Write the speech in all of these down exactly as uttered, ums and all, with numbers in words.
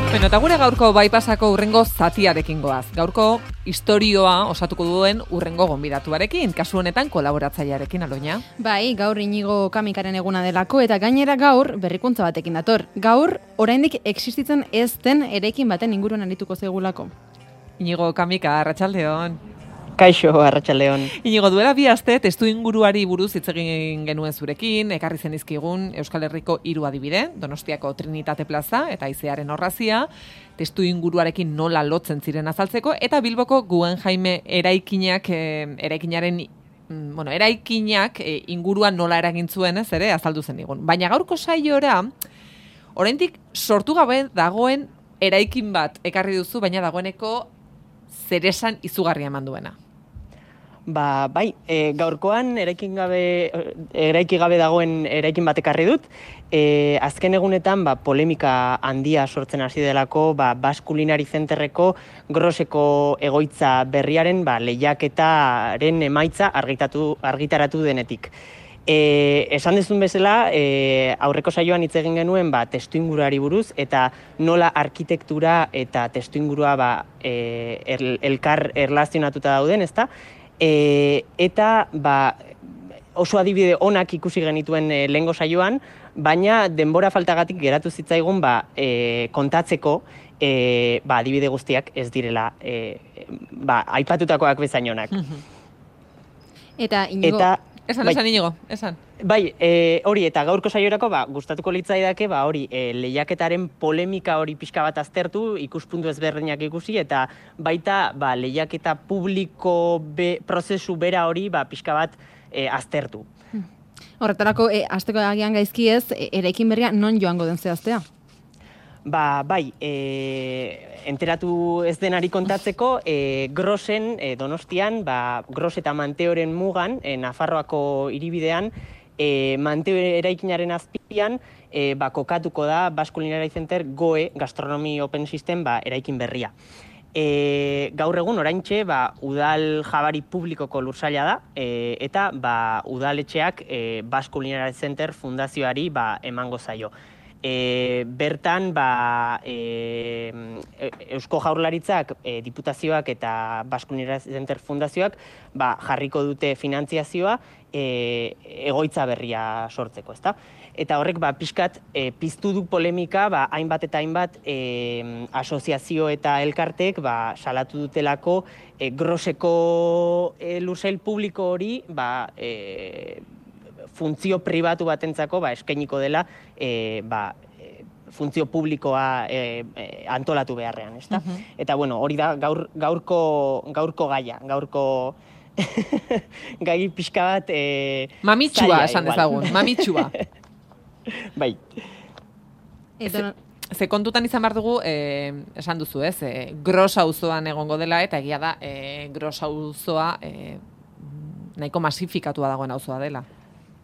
Bueno, eta gure gaurko baipasako urrengo zatiarekin goaz. Gaurko istorioa osatuko duen urrengo gonbidatuarekin, kasu honetan kolaboratzailearekin, Aloña. Bai, gaur Inigo Kamikaren eguna delako, eta gainera gaur berrikuntza batekin dator. Gaur, oraindik existitzen ez den eraikin baten inguruan arituko zegulako. Inigo Kamika, arratsaldeon. Kaixo, arratsaldeon. Inigo, duela bi aste testu inguruari buruz hitz egin genuen zurekin, ekarri zenizkigun Euskal Herriko hiru adibide, Donostiako Trinitate Plaza eta Aizearen Orrazia, testu inguruarekin nola lotzen ziren azaltzeko, eta Bilboko Guggenheim eraikinak, eh, eraikinaren, bueno, eraikinak eh, inguruan nola eragin zuen, ez ere, azaldu zen digun. Baina gaurko saiora, oraindik sortu gabe dagoen eraikin bat ekarri duzu, baina dagoeneko zeresan izugarria eman duena. Ba, bai, e, gaurkoan eraikin gabe, eraiki gabe dagoen eraikin bat ekarri dut. E, azken egunetan ba, polemika handia sortzen hasi delako ba, Basque Culinary Centerreko Groseko egoitza berriaren ba, lehiaketaren emaitza argitatu, argitaratu denetik. E, esan dezun bezala, e, aurreko saioan hitz egin genuen ba, testuinguruari buruz, eta nola arkitektura eta testuingurua ba, e, el, elkar erlazionatuta dauden, ezta? E, eta ba, oso adibide onak ikusi genituen e, lehengo saioan, baina denbora faltagatik geratu zitzaigun ba, e, kontatzeko e, ba, adibide guztiak ez direla e, ba, aipatutakoak bezain onak. Eta Inigo... Eta, Esan, bai, esan, Inigo, esan. Bai, e, hori, eta gaurko saiorako, ba, gustatuko litzaidake, ba, hori, e, lehiaketaren polemika hori pixka bat aztertu, ikuspuntu ezberdinak ikusi, eta baita, ba, lehiaketa publiko be, prozesu bera hori, ba, pixka bat e, aztertu. Horretarako, e, azteko agian gaizki ez, e, eraikin berria non joango den zehaztea? Ba, bai, e, enteratu ez denari kontatzeko, e, Grosen, e, Donostian, ba, Gros eta Manteoren mugan, e, Nafarroako hiribidean, e, Manteo eraikinaren azpian, e, ba, kokatuko da Basque Culinary Center Goe Gastronomy Open System ba, eraikin berria. E, gaur egun oraintxe ba, udal jabari publikoko lursaila da, e, eta ba, udaletxeak e, Basque Culinary Center fundazioari ba, emango zaio. E, bertan ba, e, Eusko Jaurlaritzak, e, diputazioak eta Basque Culinary Center fundazioak ba, jarriko dute finantziazioa e, egoitza berria sortzeko, ezta? Eta horrek ba, pixkat e, piztu du polemika ba, hainbat eta hainbat e, asoziazio eta elkartek ba, salatu dutelako e, Groseko e, lursail publiko hori ba, e, funtzio pribatu batentzako ba, eskainiko dela e, ba, e, funtzio publikoa e, e, antolatu beharrean, ezta? Uh-huh. Eta bueno, hori da gaur, gaurko, gaurko gaia, gaurko gai pixka bat... E, mamitsua, esan dezagun, mamitsua. Bai. Ze, ze kontutan izan behar dugu, eh, esan duzu ez, eh, Gros auzoan egongo dela, eta egia da, eh, Gros auzoa eh, nahiko masifikatua dagoen auzoa dela.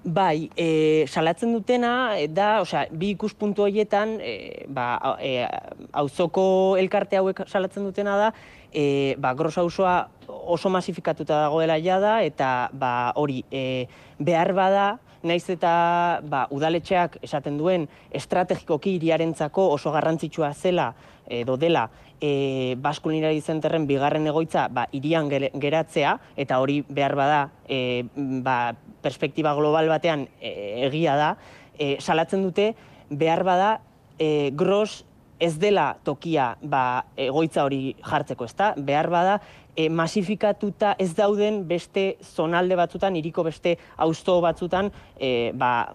Bai, e, salatzen dutena, da, osea, bi ikuspuntu horietan, e, ba, e, auzoko elkarte hauek salatzen dutena da, e, ba, Gros auzoa oso masifikatuta dagoela jada, eta ba, hori, e, behar bada, naiz eta ba, udaletxeak esaten duen estrategikoki hiriarentzako oso garrantzitsua zela edo dela e, Basque Culinary Centerren bigarren egoitza ba, hirian geratzea, eta hori behar bada e, ba, perspektiba global batean e, egia da, e, salatzen dute behar bada e, Gros ez dela tokia ba, egoitza hori jartzeko, ezta? Behar bada e, masifikatuta ez dauden beste zonalde batzutan, hiriko beste auzo batzutan e, ba,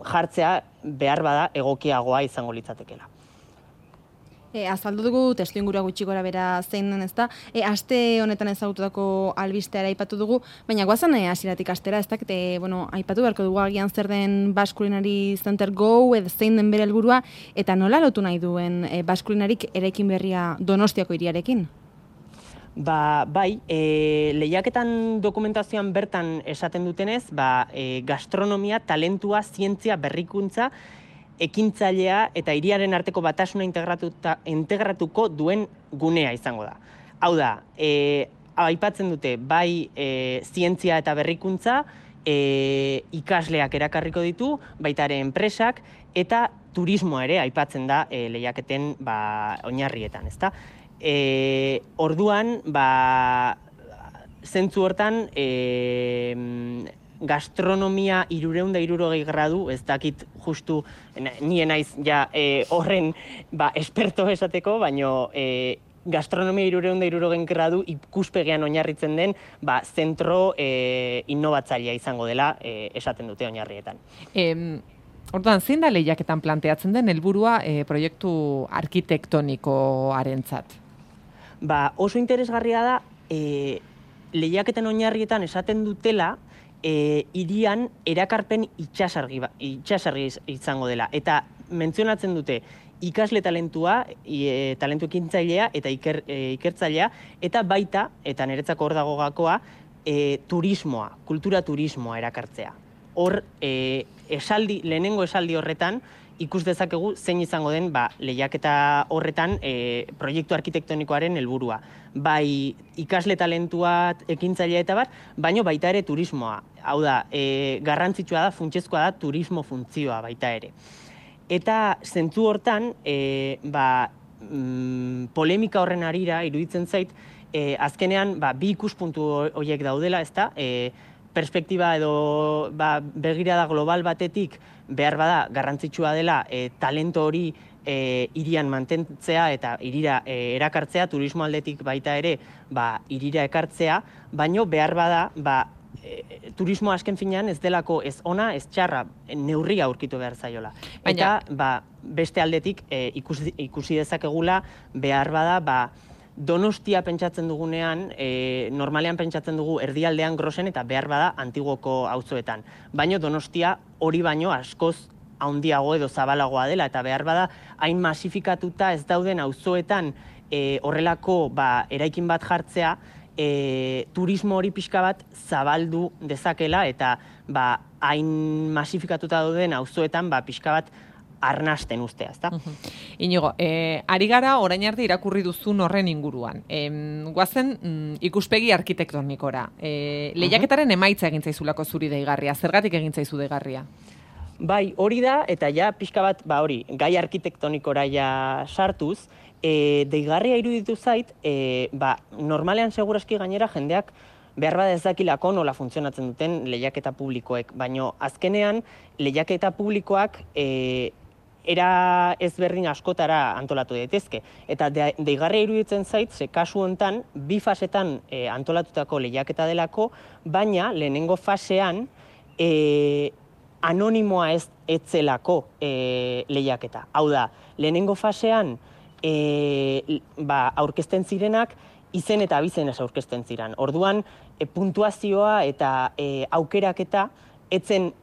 jartzea behar bada egokiagoa izango litzatekeela. E, azaldu dugu testu ingurua gutxi gora bera zein den, ezta? E, aste honetan ezagututako albisteara aipatu dugu, baina goazan e, hasieratik astera, ez dakit, e, bueno, aipatu beharko dugu agian zer den Basque Culinary Center Go, edo zein den bere helburua, eta nola lotu nahi duen e, Basque Culinaryk eraikin berria Donostiako hiriarekin? Ba, bai, e, lehiaketan dokumentazioan bertan esaten dutenez, ba, e, gastronomia, talentua, zientzia, berrikuntza, ekintzailea eta hiriaren arteko batasuna integratuko duen gunea izango da. Hau da, e, aipatzen dute bai e, zientzia eta berrikuntza, e, ikasleak erakarriko ditu, baita ere enpresak, eta turismoa ere aipatzen da e, lehiaketen ba, oinarrietan, ezta? E, orduan, ba, zentzu hortan, e, gastronomia irureun da irurogei gradu, ez dakit justu, nien naiz ja e, horren ba, esperto esateko, baino e, gastronomia irureun da irurogei gradu ikuspegean oinarritzen den ba, zentro e, innovatzailea izango dela e, esaten dute oinarrietan. Em, orduan, zein da lehiaketan planteatzen den helburua e, proiektu arkitektonikoarentzat? Ba, oso interesgarria da, e, lehiaketen oinarrietan esaten dutela, E, irian erakarpen itxasargi, itxasargi izango dela. Eta mentzionatzen dute ikasle talentua, e, talentu ekintzailea eta iker, e, ikertzailea, eta baita, eta niretzako hor dago gakoa, e, turismoa, kultura turismoa erakartzea. Hor, e, esaldi, lehenengo esaldi horretan, ikus dezakegu zein izango den ba, lehiaketa horretan e, proiektu arkitektonikoaren helburua. Bai ikasle talentua ekintzailea eta bat, baino baita ere turismoa. Hau da, e, garrantzitsua da, funtsezkoa da turismo funtzioa baita ere. Eta zentzu hortan, e, ba, mm, polemika horren arira iruditzen zait, e, azkenean ba, bi ikuspuntu horiek daudela, ezta? E, perspektiba edo ba, begirada global batetik behar bada garrantzitsua dela e, talento hori e, irian mantentzea eta irira e, erakartzea, turismo aldetik baita ere ba, irira ekartzea, baino behar bada ba, e, turismo azken finean ez delako ez ona, ez txarra, neurria aurkitu behar zaiola. Baina... Eta ba, beste aldetik e, ikusi, ikusi dezakegula behar bada ba, Donostia pentsatzen dugunean, e, normalean pentsatzen dugu erdialdean Grosen eta behar bada Antiguoko auzoetan. Baina Donostia hori baino askoz handiago edo zabalagoa dela eta behar bada hain masifikatuta ez dauden auzoetan e, horrelako ba, eraikin bat jartzea, e, turismo hori pixka bat zabaldu dezakela eta ba, hain masifikatuta dauden auzoetan ba, pixka bat arnasten ustea, ezta? Uh -huh. Inigo, eh, ari gara orain arte irakurri duzun horren inguruan. Eh, guazen mm, ikuspegi arkitektonikora. Eh, lehiaketaren emaitza egin zaizulako zuri deigarria. Zergatik egin zaizu deigarria? Bai, hori da, eta ja pixka bat, ba hori, gai arkitektonikora ja sartuz, e, deigarria iruditu zait, e, ba, normalean seguraski gainera jendeak behar bada ez dakilako nola funtzionatzen duten lehiaketa publikoek, baino azkenean lehiaketa publikoak e, era ezberdin askotara antolatu daitezke. Eta de, deigarria iruditzen zait, ze kasu hontan, bi fasetan e, antolatutako lehiaketa delako, baina lehenengo fasean e, anonimoa ez etzelako e, lehiaketa. Hau da, lehenengo fasean e, ba, aurkezten zirenak, izen eta abizenez aurkezten ziren. Orduan, e, puntuazioa eta e, aukeraketa etzen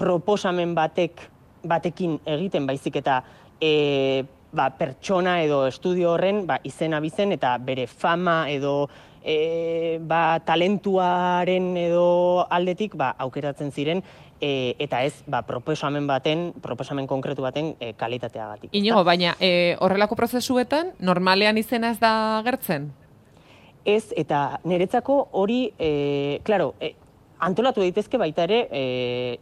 proposamen batek batekin egiten baizik eta e, ba, pertsona edo estudio horren ba, izen abizen eta bere fama edo e, ba, talentuaren edo aldetik ba, aukeratzen ziren e, eta ez ba, proposamen baten, proposamen konkretu baten e, kalitateagatik. Inigo, baina e, horrelako prozesuetan normalean izena ez da gertzen? Ez, eta niretzako hori, e, klaro, e, antolatu daitezke baita ere e,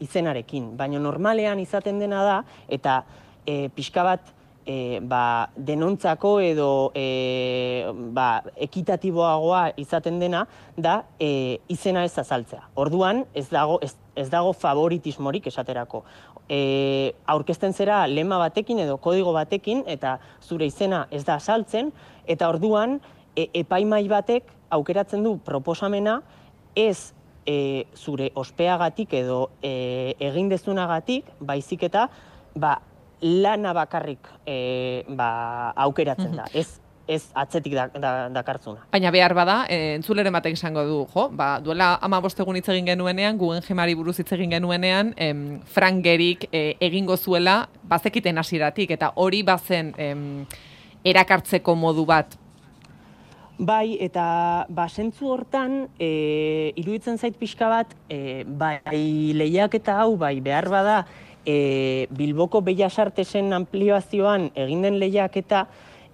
izenarekin, baina normalean izaten dena da, eta e, pixka bat e, ba, denontzako edo e, ba, ekitatiboagoa izaten dena, da e, izena ez azaltzea. Orduan ez dago, ez, ez dago favoritismorik esaterako. E, aurkezten zera lema batekin edo kodigo batekin, eta zure izena ez da azaltzen, eta orduan e, epaimai batek aukeratzen du proposamena ez E, zure ospeagatik edo e, egin dezunagatik, baizik eta ba, lana bakarrik e, ba, aukeratzen da, ez, ez atzetik da, da, dakartzuna. Baina behar bada, e, entzuleren batek esango du, jo, ba, duela hamabost egun hitz egin genuenean, Guggenheimari buruz hitz egin genuenean, em, Frank Gehryk e, egingo zuela, bazekiten hasieratik, eta hori bazen em, erakartzeko modu bat. Bai, eta ba, zentzu hortan, e, iruditzen zait pixka bat, e, bai lehiaketa hau, bai behar bada, e, Bilboko Bellas Artesen ampliazioan egin den lehiaketa,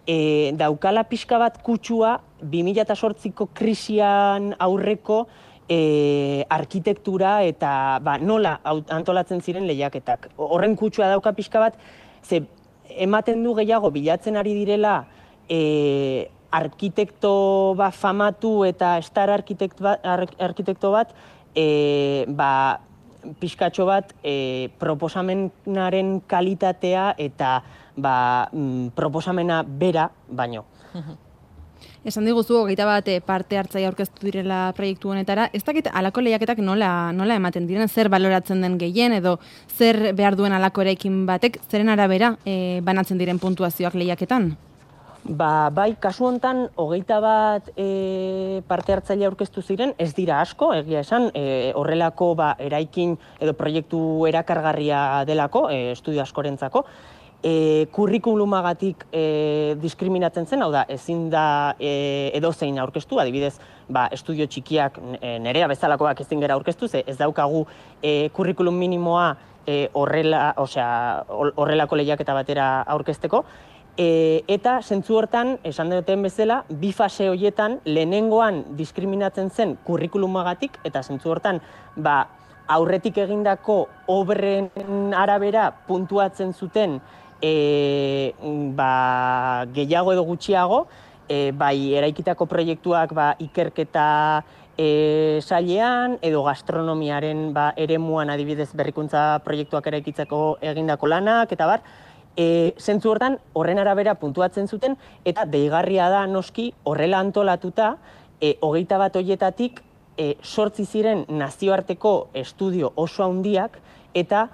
e, daukala pixka bat kutsua bi mila zortziko krisian aurreko e, arkitektura eta ba, nola antolatzen ziren lehiaketak. Horren kutsua dauka pixka bat, ze ematen du gehiago bilatzen ari direla e, arkitekto ba, famatu eta star arkitekto bat, arkitekto bat e, ba, pixkatxo bat e, proposamenaren kalitatea eta ba, mm, proposamena bera baino. Esan diguzu, hogeita bat parte hartzaile aurkeztu direla proiektu honetara, ez dakit alako lehiaketak nola, nola ematen diren, zer baloratzen den gehien edo zer behar duen alako eraikin batek, zeren arabera e, banatzen diren puntuazioak lehiaketan? Ba, bai, kasu hontan, hogeita bat e, parte hartzaile aurkeztu ziren, ez dira asko, egia esan, e, horrelako ba, eraikin edo proiektu erakargarria delako, e, estudio askorentzako, E, kurrikulumagatik e, diskriminatzen zen, hau da, ezin da e, edozein aurkeztu, adibidez, ba, estudio txikiak e, nerea bezalakoak ezin gera aurkeztu, ze ez daukagu e, kurrikulum minimoa e, horrela, osea, horrelako lehiaketa batera aurkezteko, e, eta zentzu hortan, esan duten bezala, bi fase horietan lehenengoan diskriminatzen zen kurrikulumagatik, eta zentzu hortan, ba, aurretik egindako obren arabera puntuatzen zuten E, ba, gehiago edo gutxiago, e, bai eraikitako proiektuak ba, ikerketa e, sailean edo gastronomiaren ba, eremuan adibidez berrikuntza proiektuak eraikitzeko egindako lanak, eta bar, e, zentzu hortan horren arabera puntuatzen zuten, eta deigarria da noski horrela antolatuta, e, hogeita bat horietatik e, sortzi ziren nazioarteko estudio oso handiak, eta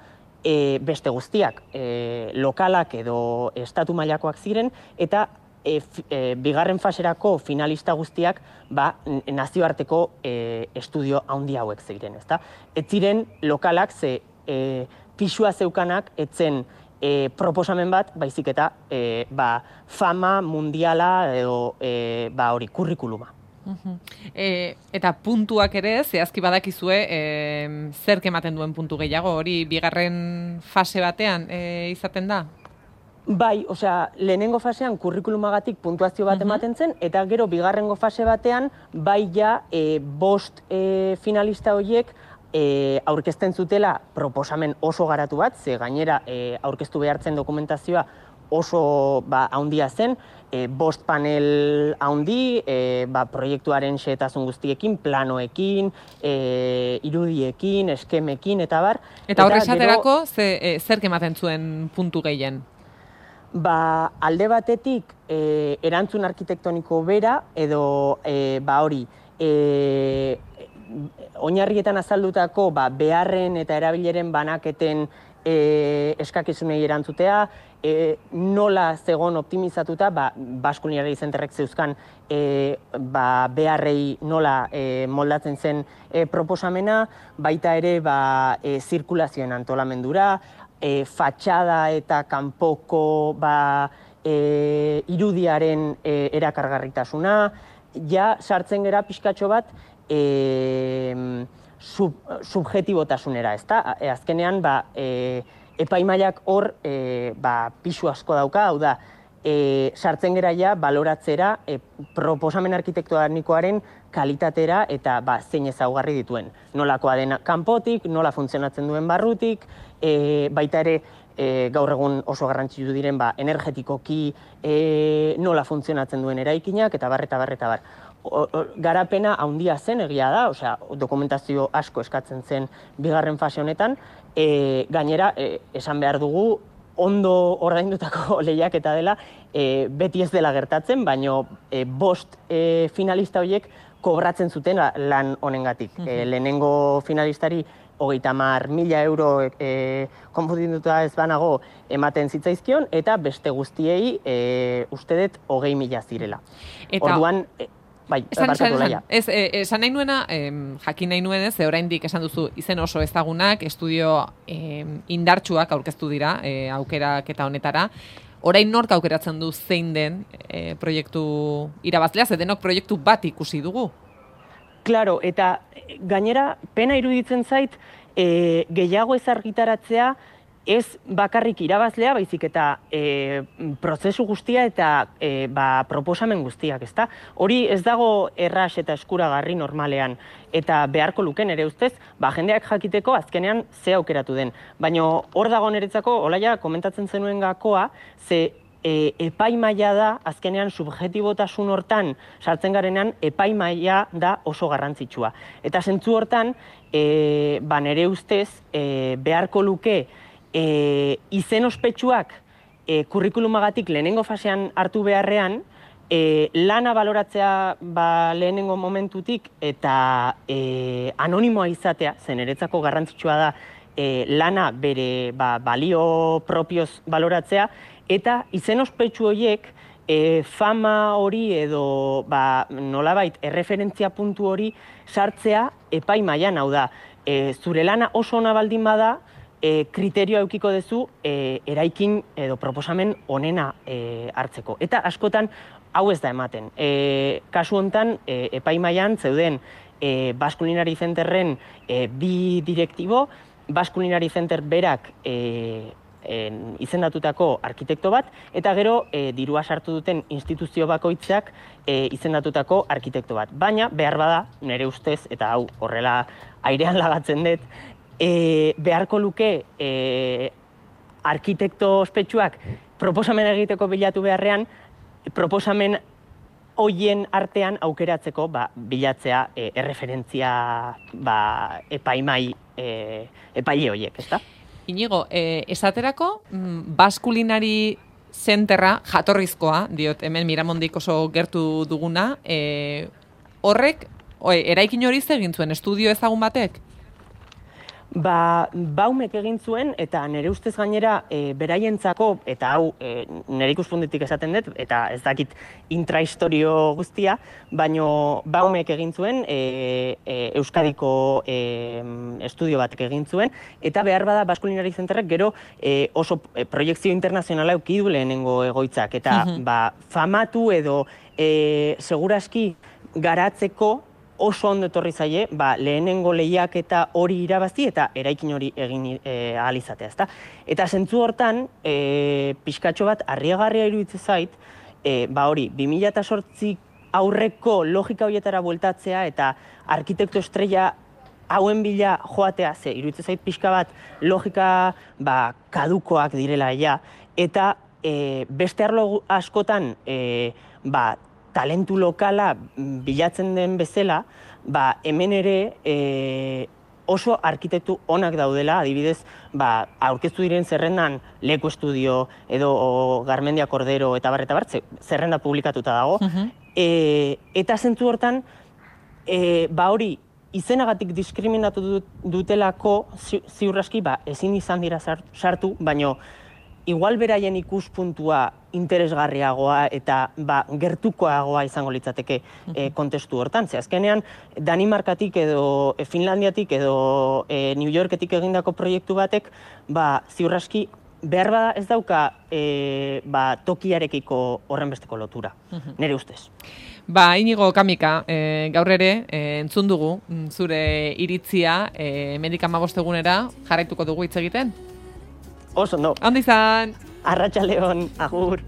E, beste guztiak, e, lokalak edo estatu mailakoak ziren, eta e, f, e, bigarren faserako finalista guztiak ba, nazioarteko e, estudio handi hauek ziren. Ezta? Ez ziren lokalak ze e, pisua zeukanak etzen e, proposamen bat, baizik eta e, ba, fama mundiala edo e, ba, hori kurrikuluma. Uh-huh. E, eta puntuak ere, zehazki badakizue, e, zerk ematen duen puntu gehiago, hori bigarren fase batean e, izaten da? Bai, osea, lehenengo fasean kurrikulumagatik puntuazio bat uh-huh. ematen zen, eta gero bigarrengo fase batean, bai ja, e, bost e, finalista horiek e, aurkezten zutela proposamen oso garatu bat, ze gainera e, aurkeztu behartzen dokumentazioa oso ba, haundia zen, e, bost panel haundi, e, ba, proiektuaren xehetasun guztiekin, planoekin, e, irudiekin, eskemekin, eta bar. Eta horre esaterako, ze, e, zerk ematen zuen puntu gehien? Ba, alde batetik, e, erantzun arkitektoniko bera, edo e, ba hori, e, oinarrietan azaldutako ba, beharren eta erabileren banaketen e, eskakizunei erantzutea, E, nola zegon optimizatuta, ba, Basque Culinary Centerrek zeuzkan e, ba, beharrei nola e, moldatzen zen e, proposamena, baita ere ba, e, zirkulazioen antolamendura, e, fatxada eta kanpoko ba, e, irudiaren e, erakargarritasuna, ja sartzen gera pixkatxo bat e, sub, subjetibotasunera, ezta? E, azkenean, ba, e, epaimaiak hor e, ba, pisu asko dauka, hau da, e, sartzen gera ja baloratzera e, proposamen arkitektonikoaren kalitatera eta ba, zein ezaugarri dituen. Nolakoa den kanpotik, nola funtzionatzen duen barrutik, e, baita ere e, gaur egun oso garrantzitsu diren ba, energetikoki e, nola funtzionatzen duen eraikinak, eta bar, eta bar, eta bar. O, o, garapena handia zen egia da, osea, dokumentazio asko eskatzen zen bigarren fase honetan, e, gainera, e, esan behar dugu, ondo ordaindutako lehiaketa dela, e, beti ez dela gertatzen, baino e, bost e, finalista horiek kobratzen zuten lan honengatik. Mm-hmm. E, lehenengo finalistari hogeita hamar mila euro e, konfunduta ez banago ematen zitzaizkion, eta beste guztiei e, uste dut hogei mila zirela. Eta... Orduan, e, bai, esan, esan, esan. Ez, e, esan nahi nuena, em, jakin nahi nuenez, ze oraindik esan duzu izen oso ezagunak, estudio em, indartsuak aurkeztu dira, e, aukerak eta honetara. Orain nork aukeratzen du zein den e, proiektu irabazlea, ze denok proiektu bat ikusi dugu? Claro, eta gainera pena iruditzen zait, e, gehiago ez argitaratzea ez bakarrik irabazlea, baizik eta e, prozesu guztia eta e, ba, proposamen guztiak, ezta? Hori ez dago erras eta eskuragarri normalean, eta beharko luken ere ustez, ba, jendeak jakiteko azkenean ze aukeratu den. Baina hor dago niretzako, Olaia komentatzen zenuen gakoa, ze e, epaimaila da, azkenean subjetibotasun hortan sartzen garenean, epaimaila da oso garrantzitsua. Eta zentzu hortan, e, ba, nire ustez, e, beharko luke, E, izen ospetsuak e, kurrikulumagatik lehenengo fasean hartu beharrean, e, lana baloratzea ba, lehenengo momentutik eta e, anonimoa izatea, zen eretzako garrantzitsua da e, lana bere ba, balio propioz baloratzea, eta izen ospetsu horiek e, fama hori edo ba, nolabait erreferentzia puntu hori sartzea epai mailan, hau da, e, zure lana oso ona baldin bada, E, kriterioa eukiko duzu e, eraikin edo proposamen onena e, hartzeko. Eta askotan hau ez da ematen. E, kasu hontan e, epaimailan zeuden e, Basque Culinary Centerren e, bi direktibo, Basque Culinary Center berak e, en, izendatutako arkitekto bat, eta gero e, dirua sartu duten instituzio bakoitzak e, izendatutako arkitekto bat. Baina behar bada, nire ustez, eta hau horrela airean lagatzen dut, E, beharko luke e, arkitekto ospetsuak proposamen egiteko bilatu beharrean, proposamen hoien artean aukeratzeko ba, bilatzea e, erreferentzia ba, epaimai e, epaile horiek, ezta? Inigo, e, esaterako, Basque Culinary Centerra jatorrizkoa, diot hemen Miramondik oso gertu duguna, e, horrek, oe, eraikin hori egin zuen estudio ezagun batek? Ba, Baumek egin zuen, eta nire ustez gainera e, beraientzako, eta hau e, nire ikuspuntetik esaten dut, eta ez dakit intrahistorio guztia, baino Baumek egin zuen, e, e, Euskadiko e, estudio batek egin zuen, eta behar bada Basque Culinary Centerrek gero e, oso e, proiektzio internazionala eduki du lehenengo egoitzak, eta mm-hmm. ba, famatu edo e, seguraski garatzeko oso ondo etorri zaie, ba, lehenengo lehiak eta hori irabazi eta eraikin hori egin e, ahal izatea, ezta? Eta zentzu hortan, e, pixkatxo bat harrigarria iruditzen zait, e, ba hori, bi mila zortzi aurreko logika horietara bueltatzea eta arkitekto estrella hauen bila joatea, ze iruditzen zait pixka bat logika ba, kadukoak direla ja, eta e, beste arlo askotan e, ba, talentu lokala bilatzen den bezala, ba, hemen ere e, oso arkitektu onak daudela, adibidez, ba, aurkeztu diren zerrendan Leku Estudio edo Garmendia Cordero eta bar, eta bar, zerrenda publikatuta dago. Uh-huh. e, eta zentzu hortan, e, ba hori, izenagatik diskriminatu dutelako ziurraski, ba, ezin izan dira sartu, baino igual beraien ikuspuntua interesgarriagoa eta ba, gertukoagoa izango litzateke e, kontestu hortan. Ze azkenean, Danimarkatik edo e, Finlandiatik edo e, New Yorketik egindako proiektu batek, ba, ziurraski behar bada ez dauka e, ba, tokiarekiko horren besteko lotura, nire ustez. Ba, Inigo Kamika, e, gaur ere, e, entzun dugu, zure iritzia, e, hemendik hamabost egunera jarraituko dugu hitz egiten? Oso, no. Ondo izan! Arratsaldeon, agur!